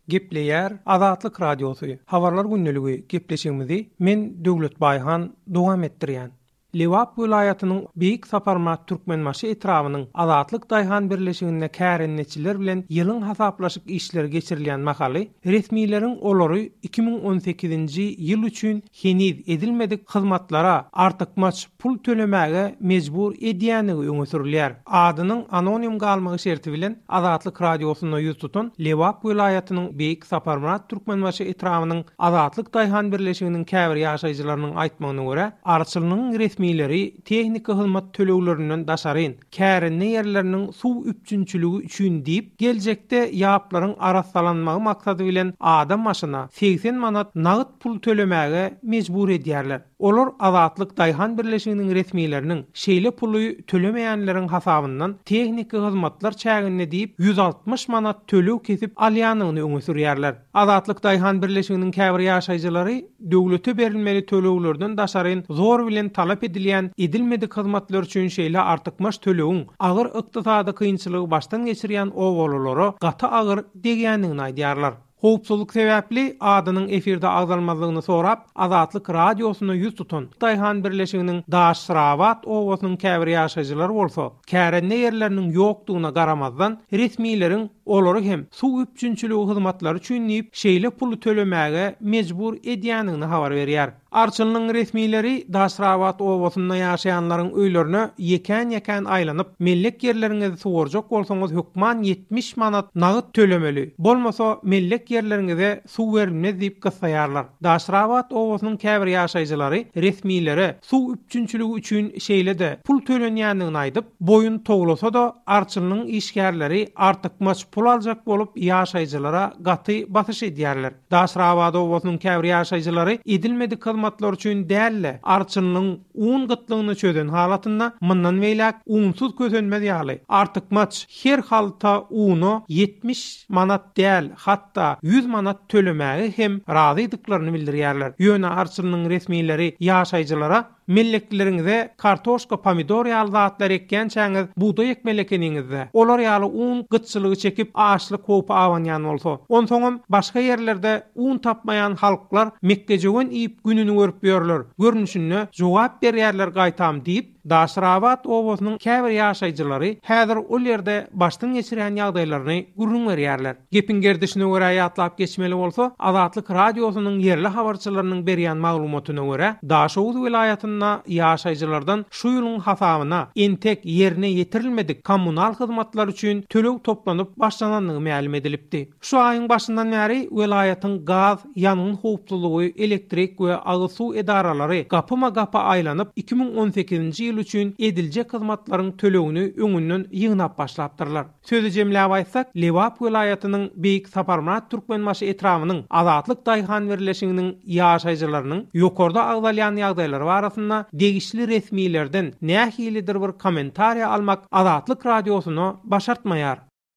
Gepleýär Azatlyk Radiosy, Habarlar gündeligi gepleşigimizi men Döwlet Baýhan dowam etdirýän. Lebap welaýatynyň Beýik Saparmyrat Türkmenbaşy etrabynyň Azatlyk daýhan birleşiginde kärendeçiler bilen ýylyň hasaplaşyk işleri geçirilýän mahaly resmileriň olary 2018-nji ýyl üçin heniz edilmedik hyzmatlara artykmaç pul tölemäge mejbur edýändigi öňe sürülýär. Adynyň anonim galmagy şerti bilen Azatlyk Radiosyna ýüz tutan Lebap welaýatynyň Beýik Saparmyrat Türkmenbaşy etrabynyň Azatlyk daýhan birleşiginiň käbir ýaşaýjylarynyň aýtmagyna görä, arçynlygyň resmileri tehniki hyzmat töleglerinden daşaryn, kärende ýerleriniň suw üpjünçiligi üçin diýip, geljekde ýaplaryň arassalanmagy maksady bilen adam başyna 80 manat nagt pul tölemäge mejbur edýärler. Olar Azatlyk daýhan birleşiginiň resmileriniň şeýle puly tölemeýänleriň hasabyndan tehniki hyzmatlar çäginde diýip 160 manat töleg kesip alýanyny öňe sürýärler. Azatlyk daýhan birleşiginiň käbir ýaşaýjylary döwlete berilmeli töleglerden daşaryn zor bilen talap edilýän edilmedik hyzmatlar üçin şeýle artykmaç tölegiň agyr ykdysady kynçylygy başdan geçirýän obalylara gaty agyr degýändigini aýdýarlar. Howpsuzlyk sebäpli adynyň efirde agzalmazlygyny sorap, Azatlyk Radiosyna ýüz tutan daýhan birleşiginiň Daşrabat obasynyň käbir ýaşaýjylary bolsa, kärende ýerleriniň ýokdugyna garamazdan, resmileriň olary hem suw üpjünçiligi hyzmatlary üçin diýip, şeýle puly tölemäge mejbur edýändigini habar berýär. Arçynlygyň resmileri Daşrabat obasynda ýaşaýanlaryň öýlerine ýekän-ýekän aýlanyp, mellek ýerleriňizi suwarjak bolsaňyz hökman 70 manat nagt tölemeli, bolmasa mellek ýerleriňize suw berilmez diýip gyssaýarlar. Daşrabat obasynyň käbir ýaşaýjylary resmilere suw üpjünçiligi üçin şeýle-de pul tölenýändigini aýdyp, boýun towlasa-da, arçynlygyň işgärleri artykmaç pul aljak bolup ýaşaýjylara gaty basyş edýärler. Daşrabat obasynyň käbir ýaşaýjylary edilmedik hyzmatlar üçin däl-de, arçynlygyň un gytlygyny çözen halatynda mundan beýläk unsuz kösenmez ýaly, artykmaç her halta una 70 manat däl, hatda 100 manat tölemäge hem razydyklaryny bildirýärler. Ýöne arçynlygyň resmileri ýaşaýjylara Mellekleriňize kartoşka, pomidor ýaly zatlar ekýänçäňiz bugdaý ekmeli ekeniňiz-dä. Olar ýaly un gytçylygy çekip açlyk howpy abanýan bolsa. Onsoňam başga ýerlerde un tapmaýan halklar mekgejöwen iýip gününi görüp ýörler görnüşinde jogap berýärler gaýtam diýip, Daşrabat obasynyň käbir ýaşaýjylary häzir ol ýerde başdan geçirýän ýagdaýlaryny gürrüň berýärler. Gepiň gerdişine görä ýatlap geçmeli bolsa, Azatlyk Radiosynyň ýerli habarçylarynyň berýän maglumatyna görä, Daşoguz welaýatynda ýaşaýjylardan şu ýylyň hasabyna entek ýerine ýetirilmedik kommunal hyzmatlar üçin töleg toplanyp başlanandygy mälim edilipdi. Şu aýyň başyndan bäri welaýatyň gaz, ýangyn howpsuzlygy, elektrik we agyz suw edaralary gapyma-gapy aýlanyp, 2018-nji ýyl üçin ediljek hyzmatlaryň tölegini öňünden ýygnap başlapdyrlar. Sözi jemläp aýtsak, Lebap welaýatynyň Beýik Saparmyrat Türkmenbaşy etrabynyň Azatlyk daýhan birleşiginiň ýaşaýjylarynyň ýokarda agzalýan ýagdaýlar barasynda degişli resmilerden nähilidir bir kommentariýa almak Azatlyk Radiosyna başartmaýar.